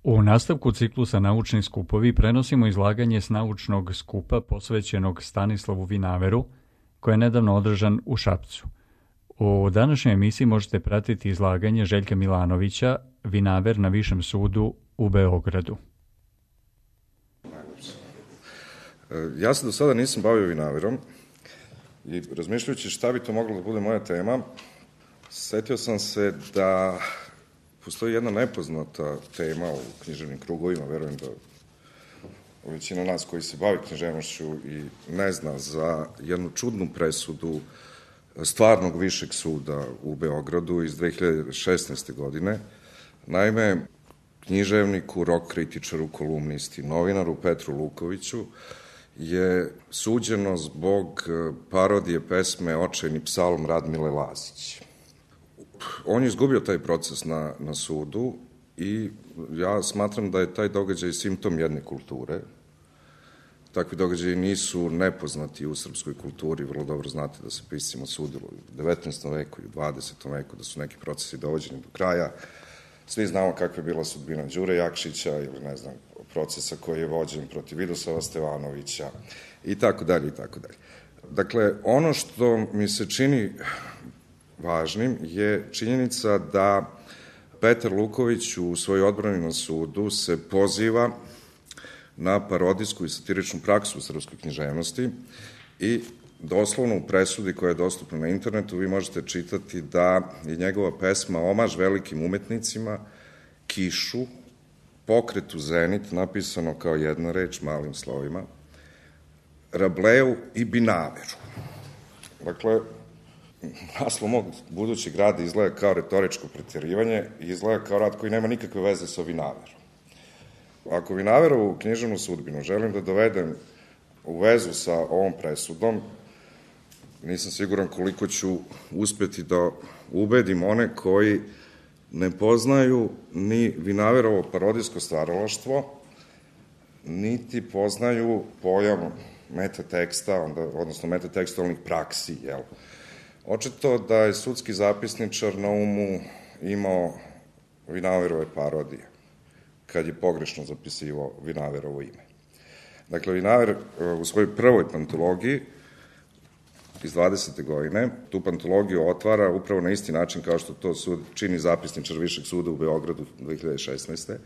U nastavku ciklusa Naučni skupovi prenosimo izlaganje s naučnog skupa posvećenog Stanislavu Vinaveru, koje je nedavno održan u Šapcu. U današnjoj emisiji možete pratiti izlaganje Željka Milanovića, Vinaver na Višem sudu u Beogradu. Ja se do sada nisam bavio Vinaverom i razmišljajući šta bi to moglo da bude moja tema, setio sam se da postoji jedna nepoznata tema u književnim krugovima, verujem da većina nas koji se bavi književnošću i ne zna za jednu čudnu presudu stvarnog višeg suda u Beogradu iz 2016. godine. Naime, književniku, rock kritičaru, kolumnisti, novinaru Petru Lukoviću je suđeno zbog parodije pesme Očajni psalm Radmile Lazić. On je izgubio taj proces na sudu i ja smatram da je taj događaj simptom jedne kulture. Takvi događaji nisu nepoznati u srpskoj kulturi, vrlo dobro znate da se piscima sudilo u 19. veku i u 20. veku, da su neki procesi dovođeni do kraja. Svi znamo kakva je bila sudbina Đure Jakšića ili ne znam, procesa koji je vođen protiv Vidoslava Stevanovića i tako dalje i tako dalje. Dakle, ono što mi se čini važnim je činjenica da Petar Luković u svojoj odbrani na sudu se poziva na parodijsku i satiričnu praksu u srpskoj književnosti i doslovno u presudi koja je dostupna na internetu vi možete čitati da je njegova pesma omaž velikim umetnicima, Kišu, Pokretu Zenit, napisano kao jedna reč malim slovima, Rableu i Binaveru. Dakle, naslov mog budućeg rada izgleda kao retoričko preterivanje i izgleda kao rad koji nema nikakve veze sa Vinaverom. Ako Vinaverovu književnu sudbinu želim da dovedem u vezu sa ovom presudom, nisam siguran koliko ću uspeti da ubedim one koji ne poznaju ni Vinaverovo parodijsko stvaralaštvo, niti poznaju pojam metateksta, odnosno metatekstualnih praksi, jel? Očito da je sudski zapisničar na umu imao Vinaverove parodije, kad je pogrešno zapisivao Vinaverovo ime. Dakle, Vinaver u svojoj prvoj pantologiji iz 20. godine tu pantologiju otvara upravo na isti način kao što to čini zapisničar Višeg suda u Beogradu 2016.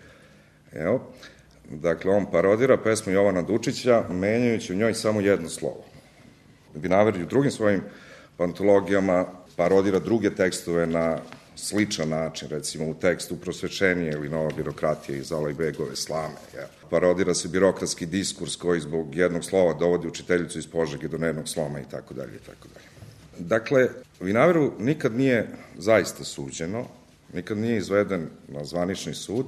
Evo, dakle, on parodira pesmu Jovana Dučića, menjajući u njoj samo jedno slovo. Vinaver i u drugim svojim pantologijama parodira druge tekstove na sličan način, recimo u tekstu Prosvečenije ili Nova birokratija iz Alajbegove slame. Parodira se birokratski diskurs koji zbog jednog slova dovodi učiteljicu iz Požege do nervnog sloma i tako dalje i tako dalje. Dakle, Vinaveru nikad nije zaista suđeno, nikad nije izveden na zvanični sud,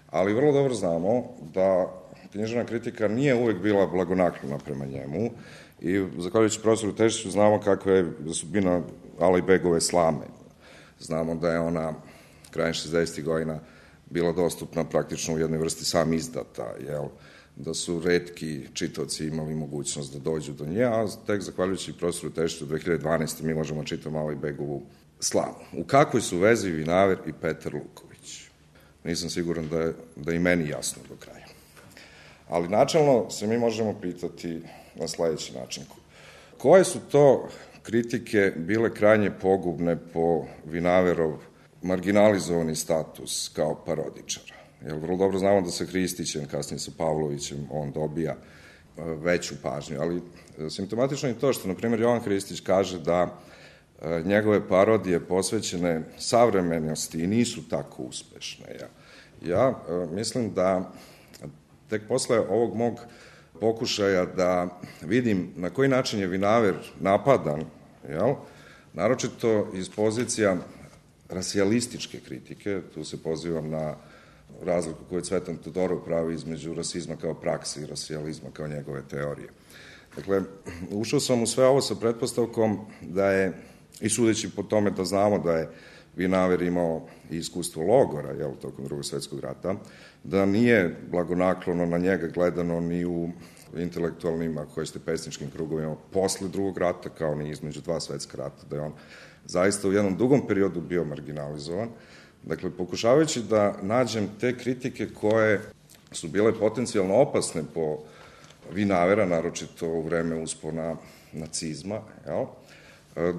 ali vrlo dobro znamo da književna kritika nije uvek bila blagonaklona prema njemu i zahvaljujući profesoru Tešiću znamo kakva je sudbina Alajbegove slame. Znamo da je ona krajem 60. godina bila dostupna praktično u jednoj vrsti sam izdata, da su retki čitaoci imali mogućnost da dođu do nje, a tek zahvaljujući profesoru Tešiću 2012. mi možemo čitati Alajbegovu slamu. U kakvoj su vezi Vinaver i Petar Luković? Nisam siguran da i meni jasno do kraja. Ali načelno se mi možemo pitati na sledeći način. Koje su to kritike bile krajnje pogubne po Vinaverov marginalizovani status kao parodičara? Jer vrlo dobro znamo da sa Hristićem, kasnije sa Pavlovićem, on dobija veću pažnju, ali simptomatično je to što, na primjer, Jovan Hristić kaže da njegove parodije posvećene savremenosti nisu tako uspešne. Ja mislim da tek posle ovog mog pokušaja da vidim na koji način je Vinaver napadan, naročito iz pozicija rasijalističke kritike, tu se pozivam na razliku koju Cvetan Todorov pravi između rasizma kao prakse i rasijalizma kao njegove teorije. Dakle, ušao sam u sve ovo sa pretpostavkom da je, i sudeći po tome da znamo da je Vinaver imao i iskustvo logora, tokom Drugog svetskog rata, da nije blagonaklono na njega gledano ni u intelektualnim, ako hoćete, pesničkim krugovima posle Drugog rata, kao ni između dva svetska rata, da je on zaista u jednom dugom periodu bio marginalizovan, Dakle, pokušavajući da nađem te kritike koje su bile potencijalno opasne po Vinavera, naročito u vreme uspona nacizma,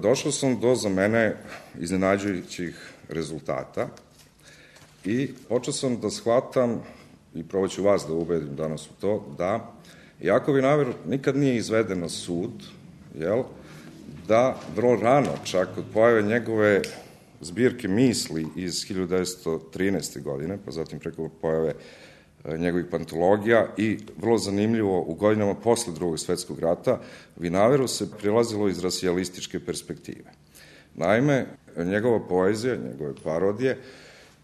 došao sam do, za mene, iznenađujućih rezultata i počeo sam da shvatam, i probaću vas da ubedim danas u to, da iako Vinaver nikad nije izveden na sud, da vrlo rano, čak od pojave njegove zbirke misli iz 1913. godine, pa zatim preko pojave njegovih pantologija i vrlo zanimljivo u godinama posle Drugog svetskog rata, Vinaveru se prilazilo iz rasijalističke perspektive. Naime, njegova poezija, njegove parodije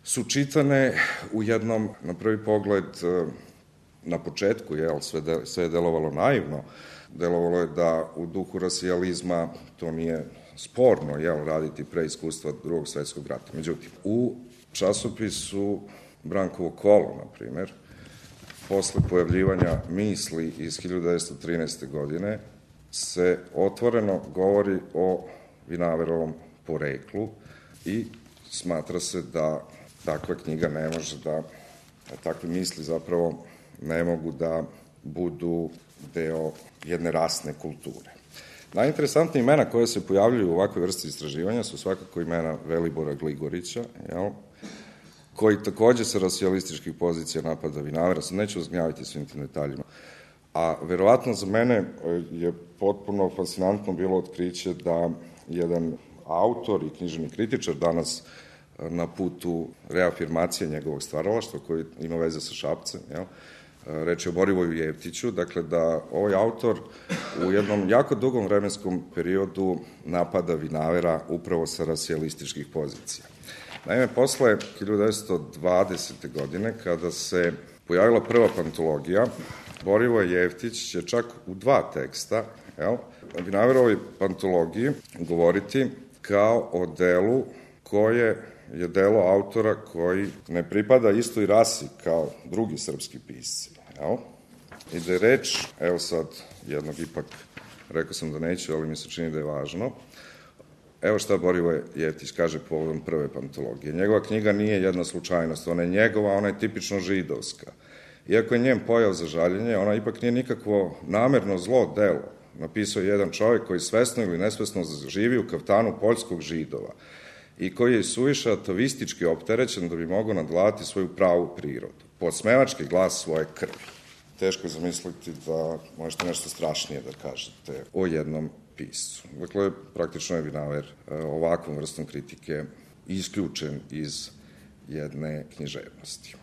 su čitane u jednom, na prvi pogled, na početku, sve je delovalo naivno, delovalo je da u duhu rasijalizma to nije sporno, raditi pre iskustva Drugog svetskog rata. Međutim, u časopisu Brankovo kolo, na primer, posle pojavljivanja misli iz 1913. godine, se otvoreno govori o Vinaverovom poreklu i smatra se da takva knjiga ne može da takve misli zapravo ne mogu da budu deo jedne rasne kulture. Najinteresantnije imena koje se pojavljuju u ovakvoj vrsti istraživanja su svakako imena Velibora Gligorića, koji takođe sa rasijalističkih pozicija napada Vinavera, sad neću uzgnjaviti svim tim detaljima. A verovatno za mene je potpuno fascinantno bilo otkriće da jedan autor i književni kritičar danas na putu reafirmacije njegovog stvaralaštva, koji ima veze sa Šapcem, reč je o Borivoju Jeftiću, dakle da ovaj autor u jednom jako dugom vremenskom periodu napada Vinavera upravo sa rasijalističkih pozicija. Naime, posle 1920. godine, kada se pojavila prva pantologija, Borivoje Jeftić će čak u 2 teksta Vinaverovoj pantologiji govoriti kao o delu koje je delo autora koji ne pripada istoj rasi kao drugi srpski pisci. I da je reč, evo sad jednog ipak, rekao sam da neću, ali mi se čini da je važno, evo šta Borivoje Jeftić kaže povodom prve pantologije. Njegova knjiga nije jedna slučajnost, ona je njegova, ona je tipično židovska. Iako je njen pojav za žaljenje, ona ipak nije nikakvo namerno zlo delo. Napisao je jedan čovjek koji svesno ili nesvesno živi u kaftanu poljskog Židova i koji je suviše atavistički opterećen da bi mogao nadvladati svoju pravu prirodu. Podsmevački glas svoje krvi. Teško je zamisliti da možete nešto strašnije da kažete o jednom piscu. Dakle, praktično je Vinaver ovakvom vrstom kritike isključen iz jedne književnosti.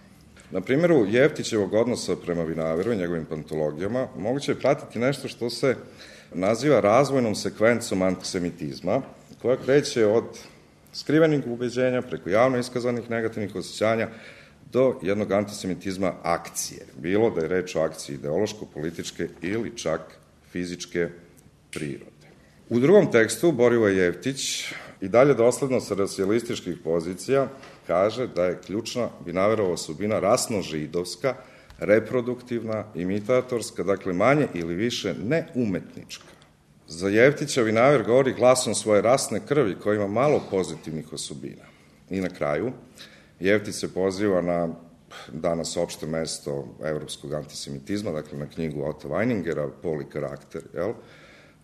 Na primjeru Jeftićevog odnosa prema Vinaveru i njegovim pantologijama moguće je pratiti nešto što se naziva razvojnom sekvencom antisemitizma, koja kreće od skrivenih ubeđenja preko javno iskazanih negativnih osjećanja do jednog antisemitizma akcije. Bilo da je reč o akciji ideološko-političke ili čak fizičke prirode. U drugom tekstu Borivoje Jeftić i dalje dosledno sa rasijalističkih pozicija kaže da je ključna Vinaverova osobina rasno-židovska, reproduktivna, imitatorska, dakle manje ili više neumetnička. Za Jeftića Vinaver govori glasom svoje rasne krvi koja ima malo pozitivnih osobina. I na kraju, Jeftić se poziva na danas opšte mesto evropskog antisemitizma, dakle na knjigu Ota Vajningera, Pol i karakter.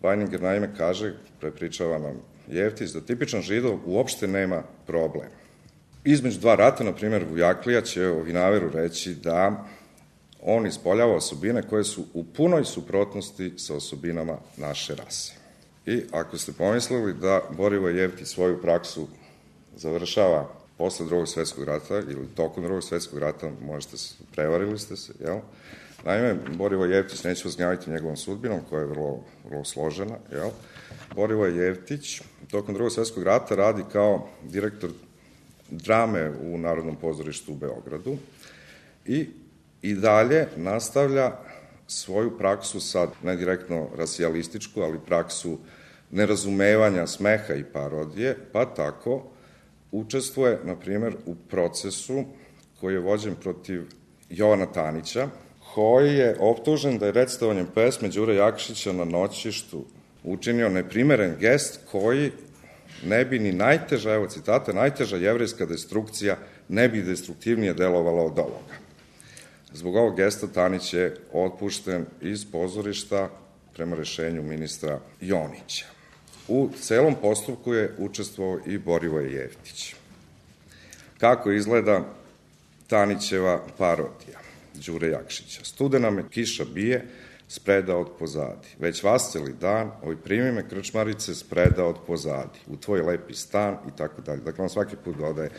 Vajninger naime kaže, prepričava nam Jeftić, da tipičan Židov uopšte nema problem. Između 2 rata, na primjer, Vujaklija će o Vinaveru reći da on ispoljava osobine koje su u punoj suprotnosti sa osobinama naše rase. I ako ste pomislili da Borivoje Jeftić svoju praksu završava posle Drugog svetskog rata ili tokom Drugog svetskog rata, prevarili ste se, Naime, Borivoje Jeftić, neću vas gnjaviti njegovom sudbinom, koja je vrlo složena, Borivoje Jeftić tokom Drugog svetskog rata radi kao direktor drame u Narodnom pozorištu u Beogradu i dalje nastavlja svoju praksu, sad ne direktno rasijalističku, ali praksu nerazumevanja, smeha i parodije, pa tako učestvuje, na primjer, u procesu koji je vođen protiv Jovana Tanića, koji je optužen da je recitovanjem pesme Đure Jakšića na Noćištu učinio neprimeren gest koji ne bi ni najteža, evo citata, najteža jevrejska destrukcija ne bi destruktivnije delovala od ovoga. Zbog ovog gesta Tanić je otpušten iz pozorišta prema rešenju ministra Jonića. U celom postupku je učestvovao i Borivoje Jeftić. Kako izgleda Tanićeva parodija Đure Jakšića? Studena me kiša bije, spreda od pozadi. Već vasceli dan, oj primi me krčmarice, spreda od pozadi. U tvoj lepi stan i tako dalje. Dakle, on svaki put dodaje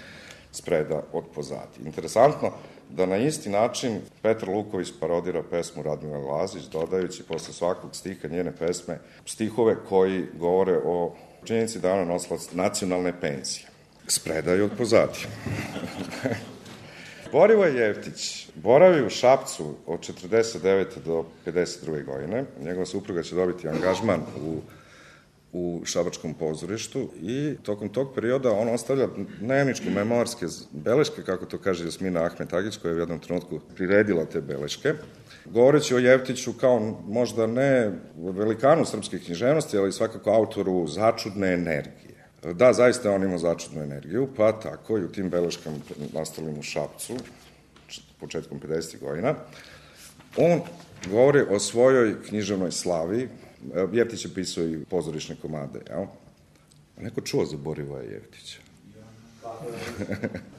spreda od pozadi. Interesantno da na isti način Petar Luković parodira pesmu Radmila Lazić, dodajući posle svakog stiha njene pesme stihove koji govore o činjenici da ona nosila nacionalne penzije. Spreda je od pozadi. Borivoje Jeftić boravi u Šapcu od 49. do 52. godine. Njegova supruga će dobiti angažman u šabačkom pozorištu i tokom tog perioda on ostavlja dnevničko memorske beleške, kako to kaže Jasmina Ahmet Agić, koja je u jednom trenutku priredila te beleške, govoreći o Jeftiću kao možda ne velikanu srpske književnosti, ali svakako autoru začudne energije. Da, zaista on ima začudnu energiju, pa tako i u tim beleškama nastalim u Šapcu, početkom 50. godina, on govori o svojoj književnoj slavi. Jeftić je pisao i pozorišne komade, jel? Neko čuo za Borivoja Jeftića?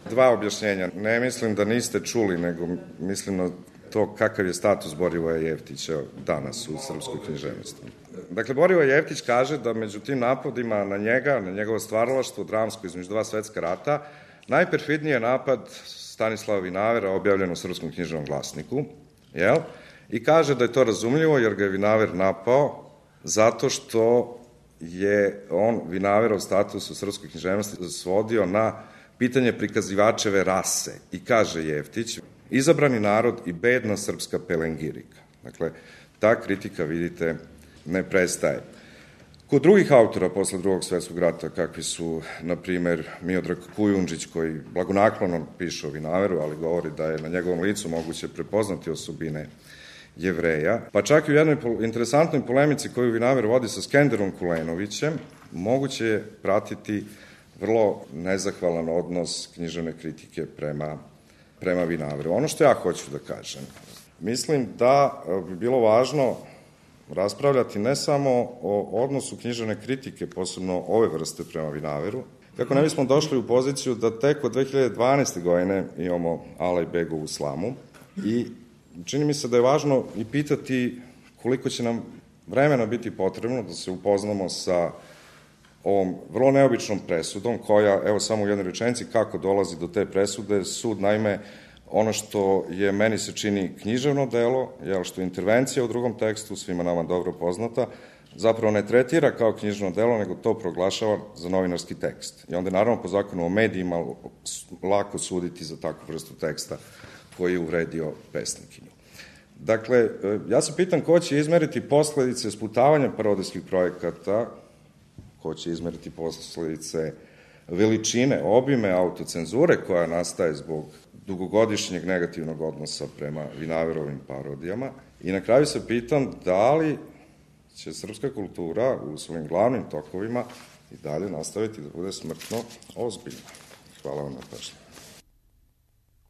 Dva objašnjenja. Ne mislim da niste čuli, nego mislim na to kakav je status Borivoja Jeftića danas u srpskoj književnosti. Dakle, Borivoje Jeftić kaže da među tim napadima na njega, na njegovo stvaralaštvo dramsko između dva svetska rata, najperfidniji je napad Stanislava Vinavera objavljen u Srpskom književnom glasniku, jel? I kaže da je to razumljivo jer ga je Vinaver napao zato što je on Vinaverov status u srpskoj književnosti svodio na pitanje prikazivačeve rase. I kaže Jeftić, izabrani narod i bedna srpska pelengirika. Dakle, ta kritika, vidite, ne prestaje. Kod drugih autora posle drugog svetskog rata, kakvi su, na primer, Miodrag Kujundžić, koji blagonaklono piše o Vinaveru, ali govori da je na njegovom licu moguće prepoznati osobine Jevreja, pa čak i u jednoj interesantnoj polemici koju Vinaver vodi sa Skenderom Kulenovićem, moguće je pratiti vrlo nezahvalan odnos književne kritike prema Vinaveru. Ono što ja hoću da kažem, mislim da bi bilo važno raspravljati ne samo o odnosu književne kritike, posebno ove vrste prema Vinaveru, kako ne bismo došli u poziciju da tek od 2012. godine imamo Alajbegovu slamu i čini mi se da je važno i pitati koliko će nam vremena biti potrebno da se upoznamo sa ovom vrlo neobičnom presudom koja, evo samo u jednoj rečenici, kako dolazi do te presude. Sud, naime, ono što je meni se čini književno delo, što je intervencija u drugom tekstu, svima nama dobro poznata, zapravo ne tretira kao književno delo, nego to proglašava za novinarski tekst. I onda je naravno po zakonu o medijima lako suditi za takvu vrstu teksta koji je uvredio pesnikinju. Dakle, ja se pitam ko će izmeriti posledice sputavanja parodijskih projekata, ko će izmeriti posledice veličine, obime autocenzure koja nastaje zbog dugogodišnjeg negativnog odnosa prema Vinaverovim parodijama. I na kraju se pitam da li će srpska kultura u svojim glavnim tokovima i dalje nastaviti da bude smrtno ozbiljna. Hvala vam na pažnju.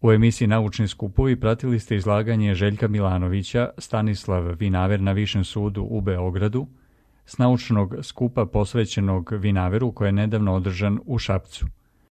U emisiji Naučni skupovi pratili ste izlaganje Željka Milanovića, Stanislav Vinaver na Višem sudu u Beogradu, s naučnog skupa posvećenog Vinaveru koji je nedavno održan u Šapcu.